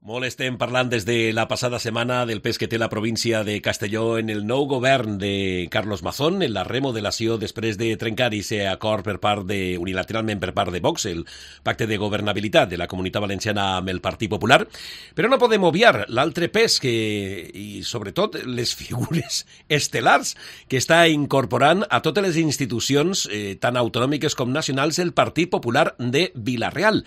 Molt estem parlant des de la passada setmana del pes que té la província de Castelló en el nou govern de Carlos Mazón, en la remodelació després de trencar i ser acord unilateralment per part de Vox, el pacte de governabilitat de la Comunitat Valenciana amb el Partit Popular. Però no podem obviar l'altre pes i sobretot les figures estel·lars que està incorporant a totes les institucions, tant autonòmiques com nacionals, el Partit Popular de Vila-real.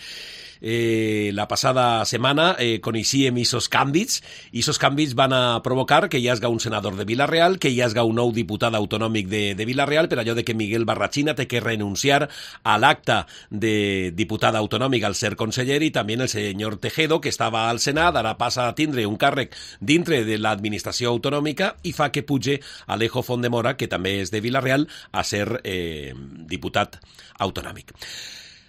La passada setmana coneixíem aquests canvis. Aquests canvis van a provocar que hi hagi un senador de Vila-real, que hi hagi un nou diputat autonòmic de Vila-real, per allò de que Miguel Barrachina té que renunciar a l'acta de diputat autonòmic al ser conseller, i també el senyor Tejedo, que estava al Senat, ara passa a tindre un càrrec dintre de l'administració autonòmica i fa que puge Alejo Fondemora, que també és de Vila-real, a ser diputat autonòmic.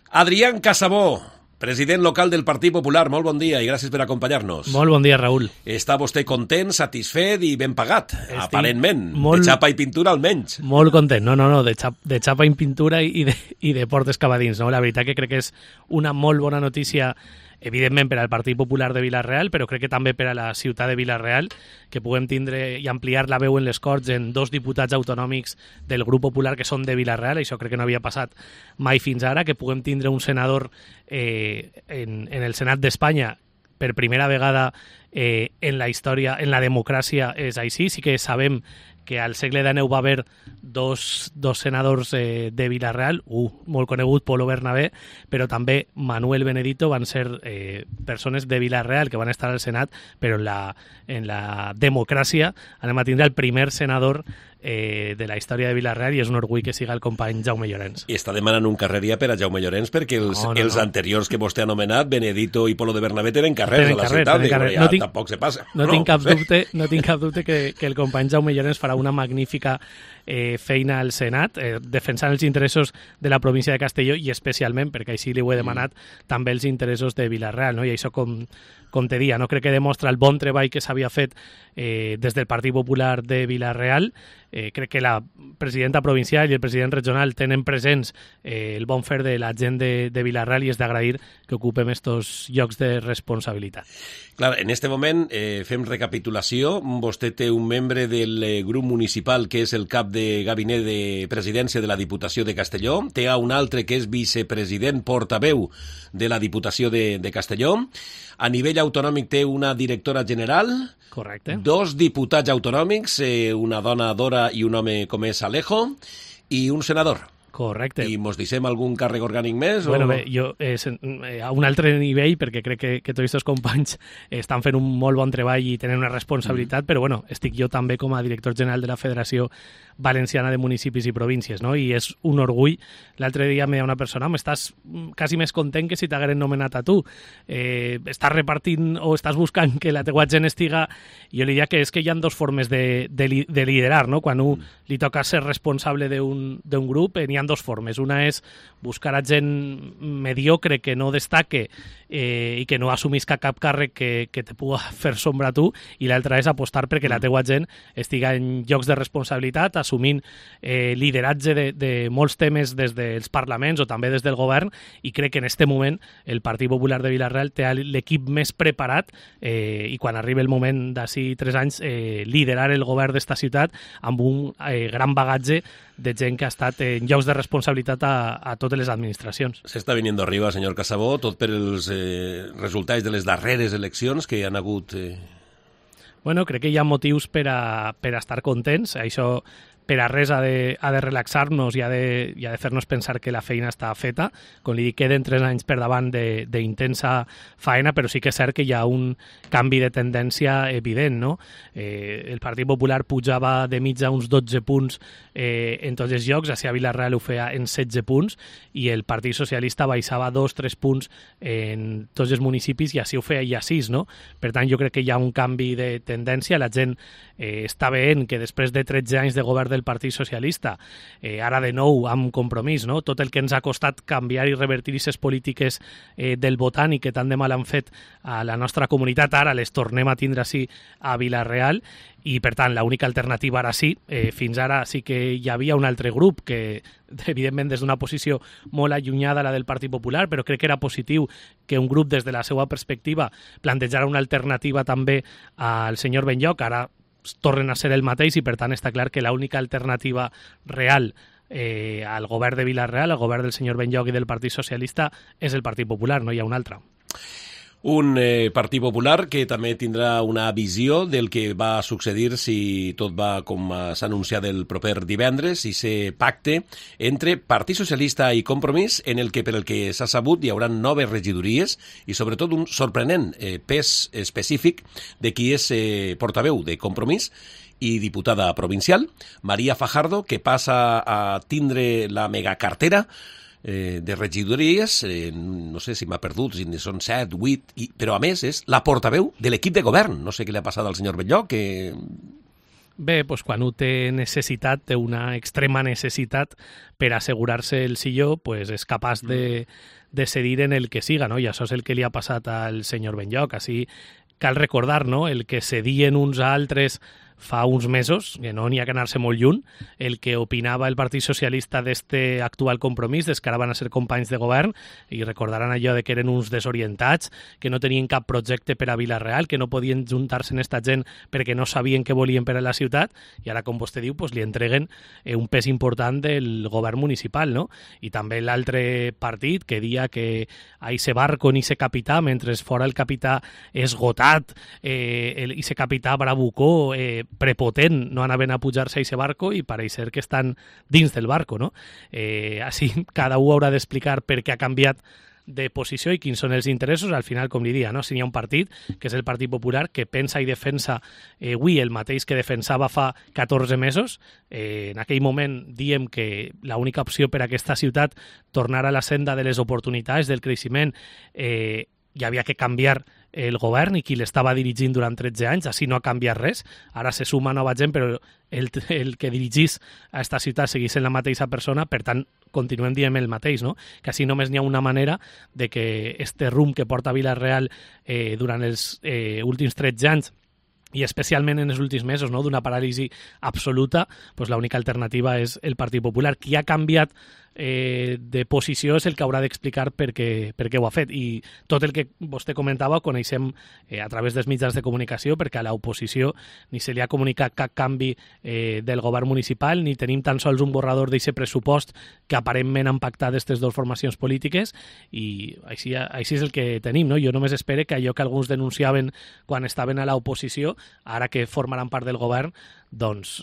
Adrián Casabó, president local del Partit Popular, molt bon dia i gràcies per acompanyar-nos. Molt bon dia, Raül. Està vostè content, satisfet i ben pagat, aparentment. De xapa i pintura almenys. Molt content, no, de xapa i pintura i de portes cap a dins. No? La veritat que crec que és una molt bona notícia, evidentment per al Partit Popular de Vila-real, però crec que també per a la ciutat de Vila-real, que puguem tindre i ampliar la veu en les Corts en 2 diputats autonòmics del grup popular que són de Vila-real. Això crec que no havia passat mai fins ara, que puguem tindre un senador en el Senat d'Espanya per primera vegada en la història, en la democràcia és així. Sí que sabem que al segle XIX va haver dos senadors de Vila-real, molt conegut, Polo Bernabé, però també Manuel Benedito, van ser persones de Vila-real que van estar al Senat, però en la democràcia anem a tindre el primer senador de la història de Vila-real, i és un orgull que siga el company Jaume Llorens. I està demanant un carreria per a Jaume Llorens perquè els anteriors que vostè ha anomenat, Benedito i Polo de Bernabé, tenen carrers a la ciutat. Tampoc se passa. No tinc cap dubte que el company Jaume Llorens farà una magnífica feina al Senat, defensant els interessos de la província de Castelló i especialment, perquè així li ho he demanat, també els interessos de Vila-real, no? I això, com te dia, no crec que demostra el bon treball que s'havia fet des del Partit Popular de Vila-real. Crec que la presidenta provincial i el president regional tenen presents el bon fer de la gent de Vila-real, i és d'agrair que ocupem estos llocs de responsabilitat. Clar, en este moment fem recapitulació. Vostè té un membre del grup municipal que és el cap de gabinet de presidència de la Diputació de Castelló, té un altre que és vicepresident portaveu de la Diputació de Castelló. A nivell autonòmic té una directora general. Correcte. 2 diputats autonòmics, una dona, Dora, i un home com és Alejo, i un senador. Correcte. I mos deixem algun càrrec orgànic més? Bueno, bé, jo a un altre nivell, perquè crec que tots els companys estan fent un molt bon treball i tenen una responsabilitat, però bueno, estic jo també com a director general de la Federació Valenciana de Municipis i Províncies, no? I és un orgull. L'altre dia me deia una persona, estàs quasi més content que si t'hagueren nomenat a tu. Estàs repartint o estàs buscant que la teua gent estiga... Jo li diria que és que hi ha 2 formes de liderar, no? Quan li toca ser responsable d'un grup, n'hi ha 2 formes. Una és buscar a gent mediocre que no destaque i que no assumisca cap càrrec que te pugui fer sombra a tu, i l'altra és apostar perquè la teua gent estiga en llocs de responsabilitat, assumint lideratge de molts temes des dels parlaments o també des del govern, i crec que en aquest moment el Partit Popular de Vila-real té l'equip més preparat i quan arribi el moment d'ací 3 anys liderar el govern d'esta ciutat amb un gran bagatge de gent que ha estat en llocs de responsabilitat a totes les administracions. S'està venint arriba, senyor Casabó, tot per els resultats de les darreres eleccions que hi han hagut... Bueno, crec que hi ha motius per a estar contents. Això per a res ha de relaxar-nos i ha de fer-nos pensar que la feina està feta. Com li dic, queden 3 anys per davant d'intensa faena, però sí que és cert que hi ha un canvi de tendència evident, no? El Partit Popular pujava de mitja uns 12 punts en tots els llocs, a Vila-real ho feia en 16 punts, i el Partit Socialista baixava 2-3 punts en tots els municipis, i així ho feia a 6, no? Per tant, jo crec que hi ha un canvi de tendència. La gent està veient que després de 13 anys de govern del Partit Socialista, ara de nou amb Compromís, no? Tot el que ens ha costat canviar i revertir aquestes polítiques del votant i que tant de mal han fet a la nostra comunitat, ara les tornem a tindre així a Vila-real, i per tant l'única alternativa ara sí, fins ara sí que hi havia un altre grup que evidentment des d'una posició molt allunyada a la del Partit Popular, però crec que era positiu que un grup des de la seva perspectiva plantejara una alternativa també al senyor Benlloch. Ara tornen a ser el mateix i per tant està clar que l'única alternativa real al govern de Vila-real, al govern del senyor Benlloch i del Partit Socialista, és el Partit Popular, no hi ha un altre. Un Partit Popular que també tindrà una visió del que va succeir si tot va com s'ha anunciat el proper divendres, i se pacte entre Partit Socialista i Compromís, en el que, per el que s'ha sabut, hi haurà 9 regidories i sobretot un sorprenent pes específic de qui és portaveu de Compromís i diputada provincial, María Fajardo, que passa a tindre la megacartera de regidories, no sé si m'ha perdut, si són 7, 8, però a més és la portaveu de l'equip de govern. No sé què li ha passat al senyor Benlloch, que... Bé, doncs quan un té necessitat, té una extrema necessitat per assegurar-se el silló, doncs és capaç de cedir en el que siga, no? I això és el que li ha passat al senyor Benlloch. Així cal recordar, no?, el que cedien uns a altres fa uns mesos, que no n'hi ha que anar-se molt lluny, el que opinava el Partit Socialista d'este actual Compromís, des que ara van a ser companys de govern, i recordaran allò de que eren uns desorientats, que no tenien cap projecte per a Vila-real, que no podien juntar-se en esta gent perquè no sabien què volien per a la ciutat, i ara, com vostè diu, pues, li entreguen un pes important del govern municipal, no? I també l'altre partit que dia que a ese barco ni se capità, mentre fora el capità esgotat, ese capità bravucó, prepotent, no anaven a pujar-se a aquest barco i pareix ser que estan dins del barco, no? Així cada un haurà d'explicar per què ha canviat de posició i quins són els interessos. Al final, com li dia, no? Si hi ha un partit, que és el Partit Popular, que pensa i defensa avui el mateix que defensava fa 14 mesos, en aquell moment diem que l'única opció per a aquesta ciutat tornar a la senda de les oportunitats, del creixement, hi havia que canviar el govern i qui l'estava dirigint durant 13 anys, així no ha canviat res. Ara se suma nova gent, però el que dirigís a esta ciutat seguís en la mateixa persona, per tant, continuem dient el mateix, no? Que així només n'hi ha una manera de que este rumb que porta Vila-real durant els últims 13 anys i especialment en els últims mesos, no?, d'una paràlisi absoluta, doncs l'única alternativa és el Partit Popular. Qui ha canviat de posició és el que haurà d'explicar per què ho ha fet, i tot el que vostè comentava ho coneixem a través dels mitjans de comunicació, perquè a l'oposició ni se li ha comunicat cap canvi del govern municipal, ni tenim tan sols un borrador d'aquest pressupost que aparentment han pactat aquestes dues formacions polítiques, i així és el que tenim, no? Jo només espero que allò que alguns denunciaven quan estaven a l'oposició, ara que formaran part del govern, doncs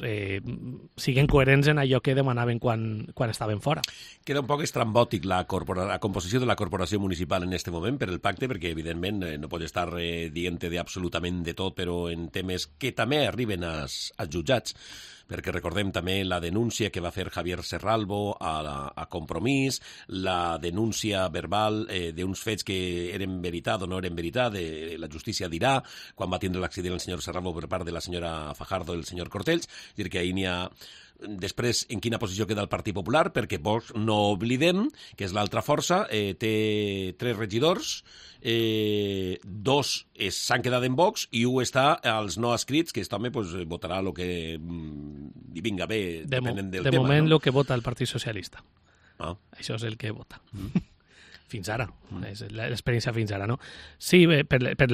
siguen coherents en allò que demanaven quan estaven fora. Queda un poc estrambòtic la composició de la corporació municipal en aquest moment per el pacte, perquè evidentment no pot estar dient-te absolutament de tot, però en temes que també arriben als jutjats, perquè recordem també la denúncia que va fer Javier Serralbo a Compromís, la denúncia verbal d'uns fets que eren veritat o no eren veritat, la justícia dirà, quan va tindre l'accident el senyor Serralbo per part de la senyora Fajardo i el senyor Cortells, és a dir, que ahir n'hi ha... Després, en quina posició queda el Partit Popular, perquè Vox, no oblidem, que és l'altra força, té 3 regidors, 2 s'han quedat en Vox i 1 està als no escrits, que aquest home votarà el que li vinga bé, depenent del tema. De moment, el que vota el Partit Socialista. Això és el que vota. Fins ara, és l'experiència fins ara, no? Sí, per aquest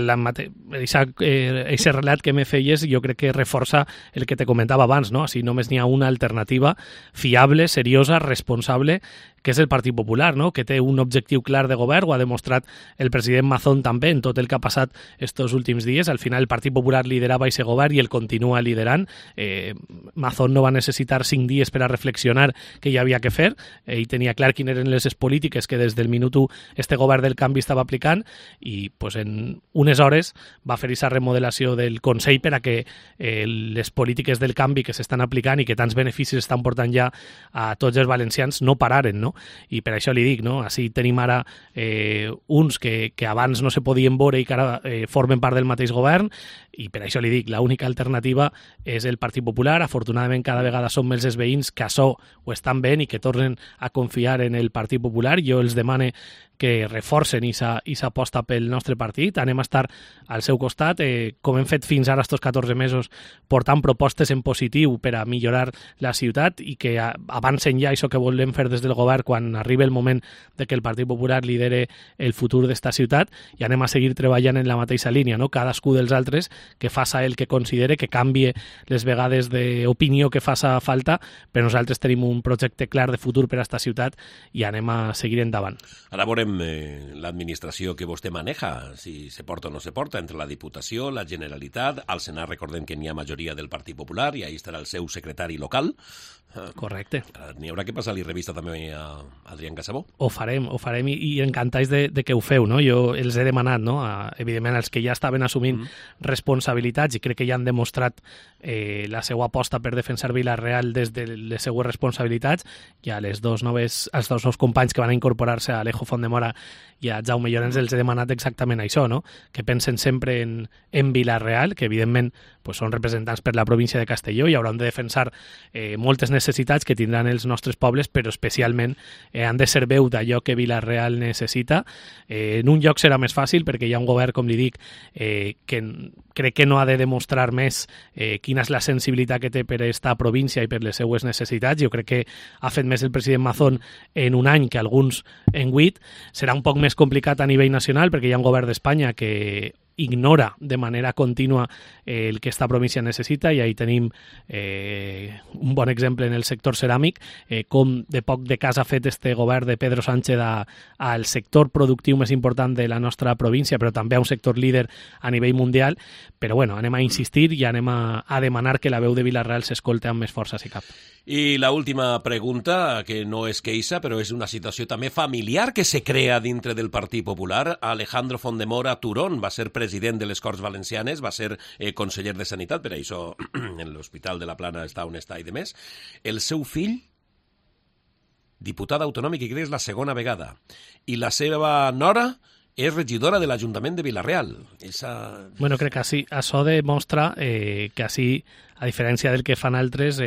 relat que me feies, jo crec que reforça el que te comentava abans, no? Així només n'hi ha una alternativa fiable, seriosa, responsable, que és el Partit Popular, no? Que té un objectiu clar de govern, ho ha demostrat el president Mazón també en tot el que ha passat estos últims dies. Al final el Partit Popular liderava aquest govern i el continua liderant. Mazón no va necessitar 5 dies per a reflexionar què hi havia que fer. Ell tenia clar quines eren les polítiques que des del minut 1 este govern del canvi estava aplicant, i pues, en unes hores va fer aquesta remodelació del Consell per a que les polítiques del canvi que s'estan aplicant i que tants beneficis estan portant ja a tots els valencians no pararen, no? I per això li dic, no? Així tenim ara uns que abans no se podien veure i que ara formen part del mateix govern, i per això li dic, l'única alternativa és el Partit Popular. Afortunadament cada vegada són més els veïns que això ho estan veient i que tornen a confiar en el Partit Popular. Jo els demane que reforcen i s'aposta pel nostre partit. Anem a estar al seu costat, com hem fet fins ara estos 14 mesos, portant propostes en positiu per a millorar la ciutat i que avancen ja això que volem fer des del govern quan arribi el moment de que el Partit Popular lidere el futur d'esta ciutat, i anem a seguir treballant en la mateixa línia, no? Cadascú dels altres que faça el que considere, que canvie les vegades d'opinió que faça falta, però nosaltres tenim un projecte clar de futur per a esta ciutat i anem a seguir endavant. Ara veurem l'administració que vostè maneja, si se porta o no se porta, entre la Diputació, la Generalitat, al Senat recordem que n'hi ha majoria del Partit Popular i ahí estarà el seu secretari local. Correcte. N'hi haurà que passar-li revista també a Adrián Casabó. Ho farem i encantats de que ho feu, no? Jo els he demanat, no? Evidentment, els que ja estaven assumint responsabilitats i crec que ja han demostrat la seva aposta per defensar Vila-real des de les seues responsabilitats, i als dos nous companys que van incorporar-se, a Alejo Fondemora i a Jaume Llorens, els he demanat exactament això, no? Que pensen sempre en Vila-real, que evidentment pues, són representants per la província de Castelló i hauran de defensar moltes necessitats que tindran els nostres pobles, però especialment han de ser veu d'allò que Vila-real necessita. En un lloc serà més fàcil perquè hi ha un govern, com li dic, que crec que no ha de demostrar més quina és la sensibilitat que té per esta província i per les seues necessitats. Jo crec que ha fet més el president Mazón en un any que alguns en 8. Serà un poc més complicat a nivell nacional perquè hi ha un govern d'Espanya que ignora de manera contínua el que esta província necessita, i ahí tenim un bon exemple en el sector ceràmic, com de poc de cas ha fet este govern de Pedro Sánchez al sector productiu més important de la nostra província, però també a un sector líder a nivell mundial. Però bueno, anem a insistir i anem a demanar que la veu de Vila-real s'escolte amb més força si cap. I la última pregunta, que no és queixa, però és una situació també familiar que se crea dintre del Partit Popular. Alejandro Fondemora Turón va ser president de les Corts Valencianes, va ser conseller de Sanitat, per això en l'Hospital de la Plana està on està i demés. El seu fill, diputat autonòmic, i crec que és la segona vegada. I la seva nora és regidora de l'Ajuntament de Vila-real. Bueno, crec que això demostra que així, a diferència del que fan altres,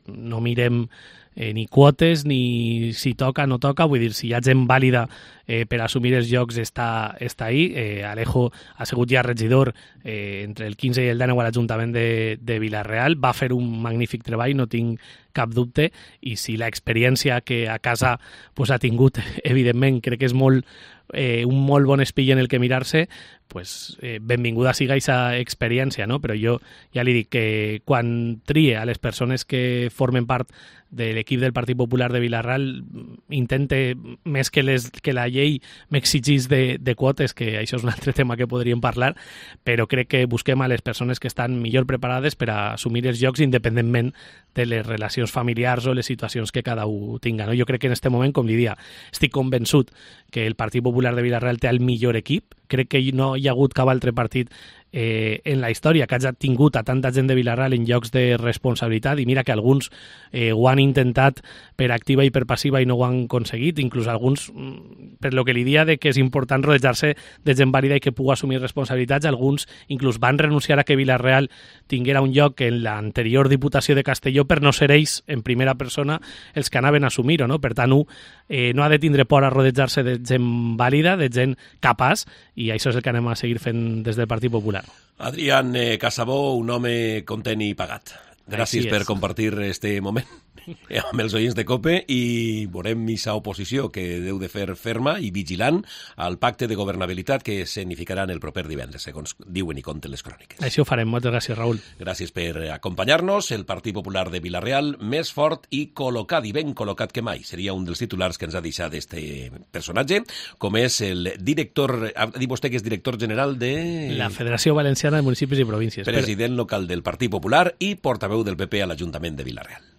no mirem ni quotes, ni si toca o no toca. Vull dir, si hi ha gent vàlida per assumir els llocs està ahí. Alejo ha sigut ja regidor entre el 15 i el 19 a l'Ajuntament de Vila-real. Va fer un magnífic treball, no tinc cap dubte, i si l'experiència que a casa pues, ha tingut, evidentment, crec que és un molt bon espill en el que mirar-se, pues, benvinguda siga aquesta experiència, no? Però jo ja li dic que quan trie a les persones que formen part de l'equip del Partit Popular de Vila-real, intente, més que la llei m'exigís de quotes, que això és un altre tema que podríem parlar, però crec que busquem a les persones que estan millor preparades per a assumir els llocs independentment de les relacions familiars o les situacions que cada un tinga, no? Jo crec que en aquest moment, com li dia, estic convençut que el Partit Popular de Vila-real té el millor equip. Crec que no hi ha hagut cap altre partit en la història que hagi tingut a tanta gent de Vila-real en llocs de responsabilitat, i mira que alguns ho han intentat per activa i per passiva i no ho han aconseguit, inclús alguns, per lo que li dia de que és important rodejar-se de gent vàlida i que pugui assumir responsabilitats, alguns inclús van renunciar a que Vila-real tinguera un lloc en l'anterior Diputació de Castelló per no ser ells en primera persona els que anaven a assumir-ho, no? Per tant, no ha de tindre por a rodejar-se de gent vàlida, de gent capaç, i això és el que anem a seguir fent des del Partit Popular. Adrián Casabó, un home content i pagat. Gràcies per compartir este moment amb els oients de COPE, i veurem aquesta oposició que deu de fer ferma i vigilant al pacte de governabilitat que significaran el proper divendres, segons diuen i conten les cròniques. Així ho farem. Moltes gràcies, Raül. Gràcies per acompanyar-nos. El Partit Popular de Vila-real més fort i col·locat, i ben col·locat que mai. Seria un dels titulars que ens ha deixat este personatge, com és el director, ha dit vostè que és director general de la Federació Valenciana de Municipis i Províncies. President local del Partit Popular i portaveu del PP a l'Ajuntament de Vila-real.